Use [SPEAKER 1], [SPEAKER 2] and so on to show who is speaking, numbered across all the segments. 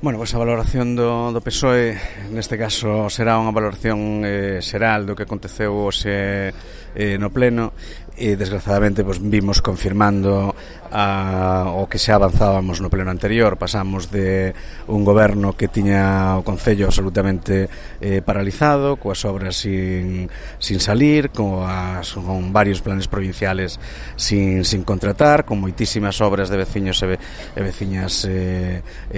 [SPEAKER 1] Bueno, pois a valoración do PSOE neste caso será unha valoración xeral do que aconteceu hoxe no pleno e desgraciadamente pois, vimos confirmando o que xa avanzábamos no pleno anterior. Pasamos de un goberno que tiña o Concello absolutamente paralizado, coas obras sin salir, con varios planes provinciales sin contratar, con moitísimas obras de veciños e veciñas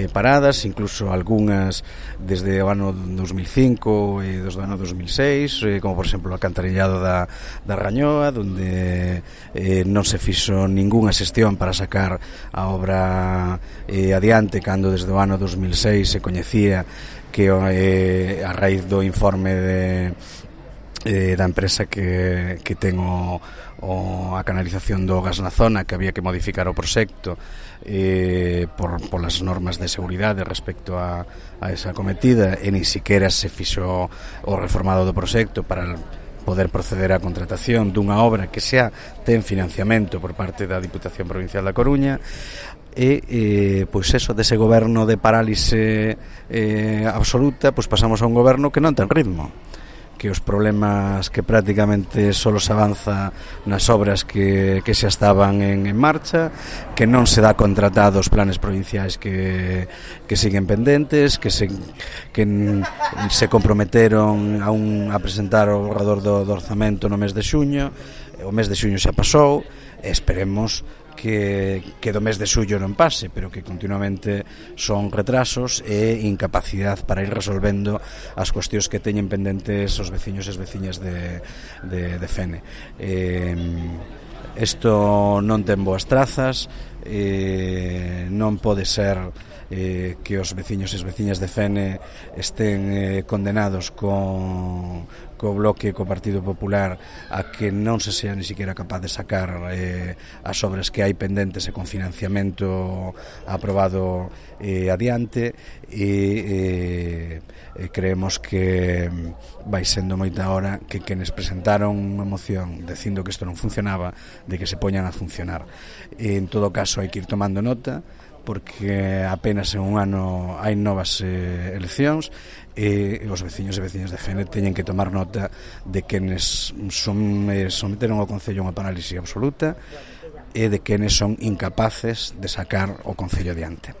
[SPEAKER 1] paradas, incluso algunhas desde o ano 2005 e desde o ano 2006, como por exemplo o alcantarillado da Rañoa, donde non se fixo ningunha xestión para sacar a obra adiante, cando desde o ano 2006 se coñecía que a raíz do informe da empresa que ten a canalización do gas na zona, que había que modificar o proxecto polas normas de seguridade respecto a esa cometida, e nin siquiera se fixo o reformado do proxecto para poder proceder á contratación dunha obra que xa ten financiamento por parte da Diputación Provincial da Coruña. E pois eso, dese goberno de parálise absoluta, pois pasamos a un goberno que non ten ritmo, que os problemas que prácticamente só se avanza nas obras que xa estaban en marcha, que non se dá contratado os planes provinciais que siguen pendentes, que se comprometeron a presentar o borrador do orzamento no mes de xuño. O mes de xuño xa pasou, esperemos que do mes de xullo non pase, pero que continuamente son retrasos e incapacidade para ir resolvendo as cuestións que teñen pendentes os veciños e as veciñas de Fene. Isto non ten boas trazas, non pode ser que os veciños e as veciñas de Fene estén condenados co Bloque e co Partido Popular a que non se sea ni siquiera capaz de sacar as obras que hai pendentes e con financiamento aprobado adiante, e creemos que vai sendo moita hora que quenes presentaron unha moción dicindo que isto non funcionaba, de que se poñan a funcionar. En todo caso hai que ir tomando nota, porque apenas en un ano hai novas eleccións, e os veciños e veciñas de Fene teñen que tomar nota de quenes someteron ao Concello unha parálise absoluta e de quenes son incapaces de sacar o Concello adiante.